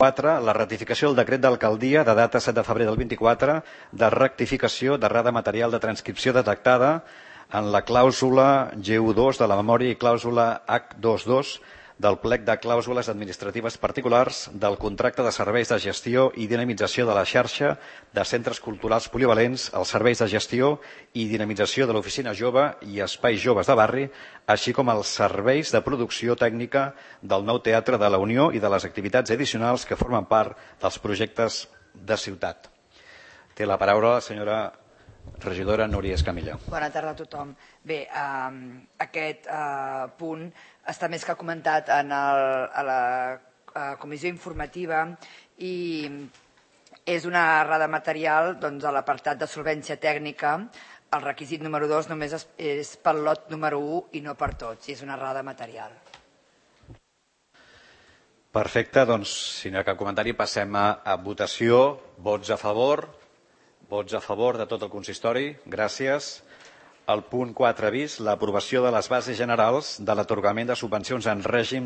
4. La ratificació del decret d'alcaldia de data 7 de febrer del 24 de rectificació d'errada material de transcripció detectada en la clàusula G1.2 de la memòria i clàusula H2.2 del plec de clàusules administratives particulars del contracte de serveis de gestió i dinamització de la xarxa de centres culturals polivalents, els serveis de gestió i dinamització de l'oficina jove i espais joves de barri, així com els serveis de producció tècnica del nou Teatre de la Unió i de les activitats addicionals que formen part dels projectes de ciutat. Té la paraula la senyora regidora Núria Escamilla. Bona tarda a tothom. Bé, aquest punt està més que comentat a la comissió informativa i és una errada material a l'apartat de solvència tècnica. El requisit número 2 només és pel lot número 1 i no per tots, i és una errada material. Perfecte, doncs, si no hi ha cap comentari, passem a votació. Vots a favor de tot el consistori. Gràcies. El punt 4 bis, l'aprovació de les bases generals de l'atorgament de subvencions en règim